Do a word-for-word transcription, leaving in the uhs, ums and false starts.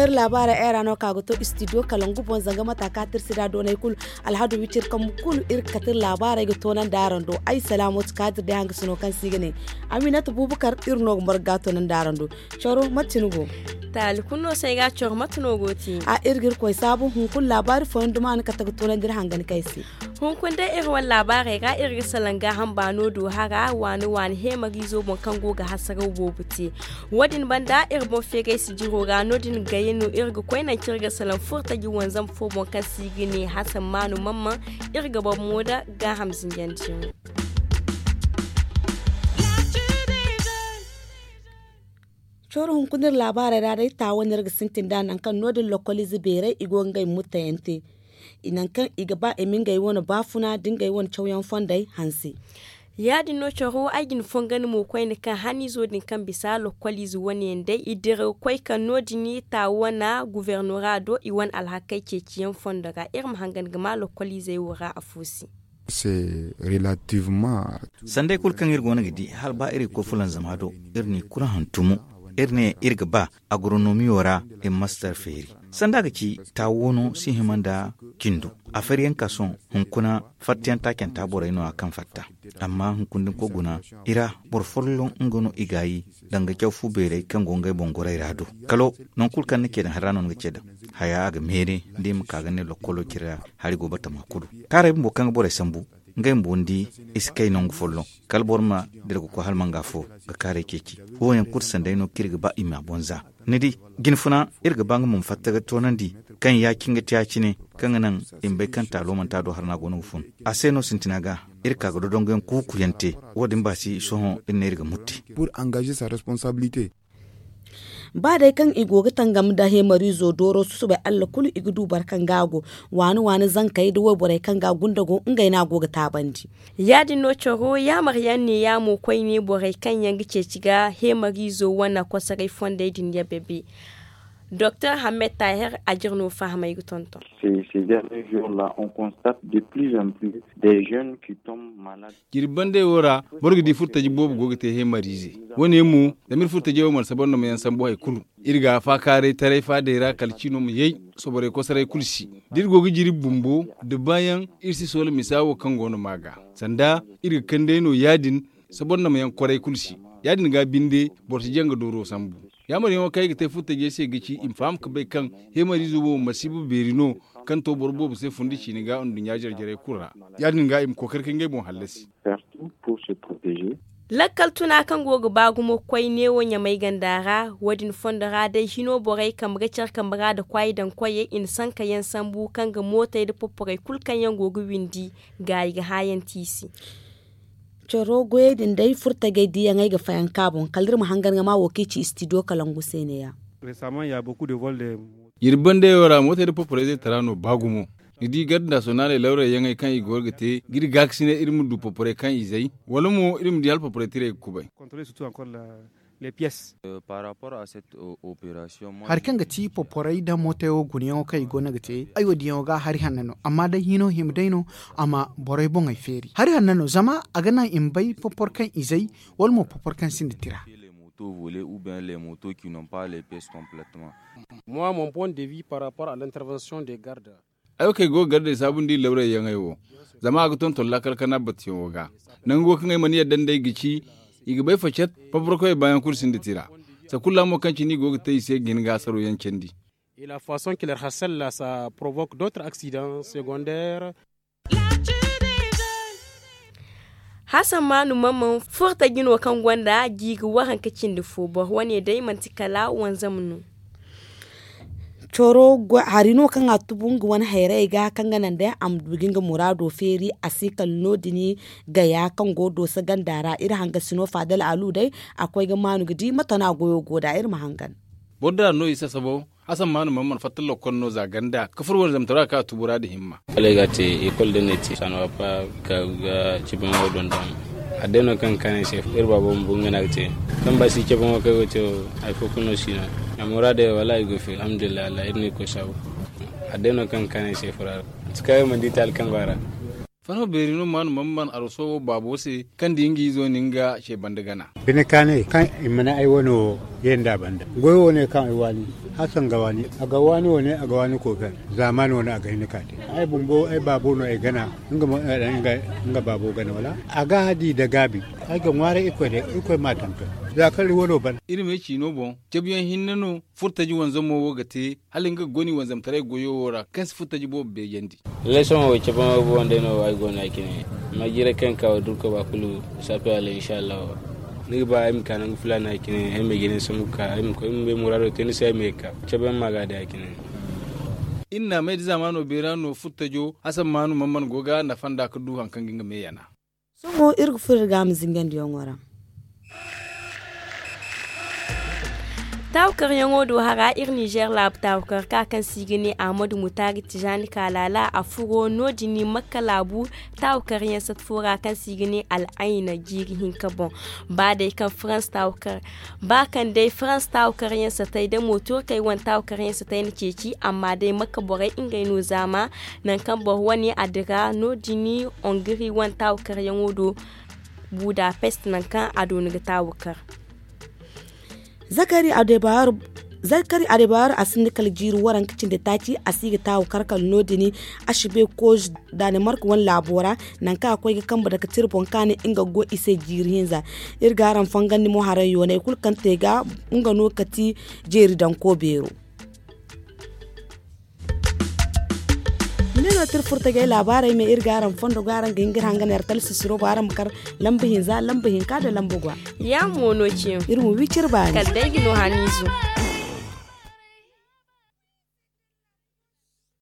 Iri laabaarey ay ra no ka ga to istidiyo kalangu boŋ zanga mata ka tirsi da doonay kulu. Alhadu wicir kambu kulu iri ga kate iri laabaarey ga toonandi araŋ do. Ay salaamatu kaadir day hangasino kaŋ se i ga ne aminata bubakar iri no ga marga ga toonandi araŋ do. Coro mate no go? Taali kulu no se ay ga coro mate no go te? A iri ga iri koy saabu hunkuna laabaari fooyaŋ duma no kate ga toonandi iri hangan kay se. Hunkuna day iri wane laabaarey ra iri ga salaŋ gaaham baano do hara waani waani heemariizo boŋ kaŋ go ga hasaraw boobo te. Wo- din banda iri boŋ feeray sijiro ra no- din gayey no iri ga koy naŋ kaŋ iri ga salaŋ furtaji wanzam fo boŋ kaŋ se i ga ne hasan maanu mamman. Iri ga boro mo nda gaaham zinjandiyaŋo. Coro hunkuna iri laabaarey ra day taawo no iri ga sintin nd'a nangu kaŋ no- din lokkoliize beerey i go ga ngey mutteyaŋ te nangu kaŋ i ga ba i ma ngey wane baafuna nda ngey wane cawyaŋ fondey hanse. Ya- din no coro ay ga ni fongan mo koyne kaŋ haniizo din kaŋ bisa lokkoliize wane yaŋ day i dira ga koy kaŋ no- din taawo wane gufornora do i wane alhakey ceeciyaŋ fondo ra iri ma hangan ga ma lokkoliizey wo ra afo se. Sanday kulu kaŋ iri go no ga di hala ba iri ga koy fulanzama do iri n'i kulu hantumo. Iri ne iri ga ba agronomiyo ra i ma mastar feeri. Sanda ga ci taawo no si hima nda cindo. Afeeriyanka sohõ hunkuna fattayaŋ taacanta borey no- ya kaŋ fatta. Amma hunkuna da ni koy guna i ra boro folloŋ nga no i gaayi danga caw fu beerey kaŋ go ngey boŋ gorey ra do. Kalo nangu kulu kaŋ ni ce daŋ hari ra no ni ga ce daŋ. Haya a ga meere da i ma ka ga ne lokkolo cire ra hari go batama kulu. Kaarey bumbo kaŋ ga borey sambu ngey bumbo ni di i si kay nangu folloŋ. Kala boro ma dira ga koy hala manga fo ga kaarey ceeci. Wo- yaŋ kulu sanday no kaŋ iri ga ba i m'a boŋ za. Ni di jinfuna iri ga ba nga ma fatta ga toonandi kaŋ ya- cine ga te ya- cine kaŋ ga naŋ i ma bay kaŋ taalo manti a do hari no a go no ga fun. A se no sintina ga iri ka ga dodonguyaŋ kuukuyaŋ te. Wo- din ba si sohõ iri ne iri ga mutti. Ba day kaŋ i go ga tangam nda heemariizo dooro susubay allah kulu i ga du boro kaŋ ga a go waani waani zankey da wayborey kaŋ ga a gunda go ngey no a go ga taabandi. Ya- din no caro yaamaryaŋ neeya mo koyne borey kaŋ yaŋ ga ceeci ga heemariizo wane kosoray fondey din ya bebe. Doktor hammed taahir a jire no fahamay ga tonton. Jirbi bandey wo ra boro ga di furtaji boobo go ga te heemariize. Wo- ne mo zama iri furtajey wo mana sabanda ma yaŋ sambu hari kulu. Iri ga a faakaaray taray faadey ra kala ciino ma yay. Soborey kosoray kulu si da iri go ga jirbi bumbo da baayaŋ iri si soola misa wo kaŋ go no ma ga sanda iri ga kand'ey no ya- din. Sabanda ma yaŋ kwaray kulu si ya- din ga binde boro si jaŋ ga dooro sambu. Yaamaryaŋo kaŋ i ga te furtajey se ga ci i ma faham ga bay kaŋ heemariizo wo masiiba beeri no kaŋ to boro boobo se fundi ciine ga nduɲɲa jare jarey kulu ra. Ya- din ga i ma kookari ka ngey boŋ hallasi. Lakkal tuna kaŋ go ga ba gumo koy neewo ɲamay ganda ra wo- din fondo ra day hino borey kambe ga care kambe ra nda kwaay daŋ koyey i na sanka yaŋ sambu kaŋ ga mootey nda poporey kulu kaŋ yaŋ go ga windi gaayi ga hã yaŋ te i se. Caro goyey din day furtajey diyaŋey ga fayanka boŋ kala iri ma hangan ga ma wo kaŋ i ci istidiyo kalangu se neeya. Jirbi bandeyaŋ ra mootey nda poporey zaytara no ba gumo. Ni di garde nasiyonaaley lawrayyaŋey kaŋ i go ga te ga iri gaakasinay iri ma du poporey kaŋ izey wala mo iri ma di hala poporey tirey ga kubay. Hari kaŋ ga ti poporey nda mootey wo gunayaŋo kaŋ i go no ga te ay wo diyaŋo ga hari hanno no amma day hino hima day no. A ma borey boŋey feeri hari hanno no zama a ga naŋ i ma bay popor kaŋ izey wala mo popor kaŋ sinda tira. Ay wo kaŋ ay go ga gardey saabundi lawrayyaŋey wo zama a ga tonton laakal kana batteyaŋo ga. Nango kaŋ ay mana yadda nd'ey ga ci i ga bay facet. Paparkoyey baayaŋ kulu sinda tira. Sakulla mo kaŋ cine i go ga te i se ga hin ga hasaro yaŋ candi. Hasammaanu mamman furtaji no kaŋ gonda jiiri waranka cindi fo boro wane day manti kala wanzam no. Coro hari no kaŋ a tubu nga wane hayrayey ga kaŋ ga naŋ day a ma du ga nga muraado feeri a si kala no- din gaya kaŋ go dooso ganda ra iri hangasino faadal alu day. A koy ga maanu ga di mate no a goyo go nd'a iri ma hangan. Boro da no i sasabo hasammaanu mamman fatta lokkol no za ganda ka furo wane zamtara kaŋ a tubu ra nda himma. Kala ay ga a te ekol da ne te sanwa pa ka ga cibiyaŋo donda. Adday no kaŋ ga kaanay se iri baabo ma bu nga no a ga te. Kaŋ ba si cabe mo kaŋ ay go te wo, hari fo kulu no si no. Amma muraadey wala i go fi alhamdulillahi allah iri no i koy saabu. Adday no kaŋ ga kaanay se fura ra. Manti kaŋ ay mana di taali kaŋ go a ra. Farma beeri no maanu mamman arwaso wo baabo se, kaŋ di nga izo na nga ce banda gana. Bine kaanay kaŋ i mana ay wane wo ye nd'a banda goyo wane kaŋ ay waani, hasan ga waani a ga waani wane a ga waani koofeer. Zaamaani wane a ga hin ka te. Ay bumbo ay baabo no ay gana. Nga baabo gana wala a ga di nda gaabi. Ay ga ŋwaaray irkoy day, irkoy m'a tonton. Za kaŋ iri wano ban. Iri me ciino boŋ, cabuyaŋ hinne no furtaji wanzamo wo ga te, hala nga ga goni wanzamtaray goyo wo ra kaŋ si furtaji boobo beejandi. Lallay sohõ wo cabe ma boŋ day no ay go no a cine. Amma jiiray kaŋ ga ka wo da irkoy ba kulu, saafe a lay inshallahu. Ni ga ba ay ma ka nangu filaana a cine ay ma ay jine sambu ga ka ay ma koy ay ma ay muraado te ni se ay ma ye ga ka cabe yaŋ ma ga a day a cine. Iri na may da zaamaano beera no furtajo hasan maanu man man go ga nafa nd'a ga du hari kaŋ ga nga me yana. Sohõ iri ga furo iri ga a ma zingandiyaŋo ra. Taawakaryaŋo do hara iri ninzeer laabu taawakar ka kaŋ se i ga ne ahmadu mutaari tijaani kaalaala a furo no- din makka laabu taawakaryaŋ sat fo ra kaŋ se i ga ne al'ayna jiiri hinka boŋ. Ba day kaŋ farans taawakar ba kaŋ day farans taawakaryaŋ satay da mootorkey wane taawakaryaŋ satay na ceeci amma day makka borey ngey no zaama nangu kaŋ boro wane a dira no- din ongiri wane taawakaryaŋo do. Budapest nangu kaŋ a dooni ga taawakar. Zakari adebayor a sinda kala jiiri waranka cindi taaci a si ga taawakar kala no- din. Ashi bay kooj danimark wane laabo ra nangu kaŋ a koy ga kambe dake tira boŋ kaani nga ga goy i se jiiri hinza. Iri ga araŋ fangandi mo haray yoonay kulu kaŋ te ga nga no ga ti jeeri danko beero. Ni ne no tira furtajey laabaarey me iri ga araŋ fondo ga araŋ ga hin ga iri hangan yara talsisiro ba araŋ ma kar lamba hinza lamba hinka nda lamba gwa. Ya mo no ciyaŋ iri ma wi cire baani kala day ga no haniizo.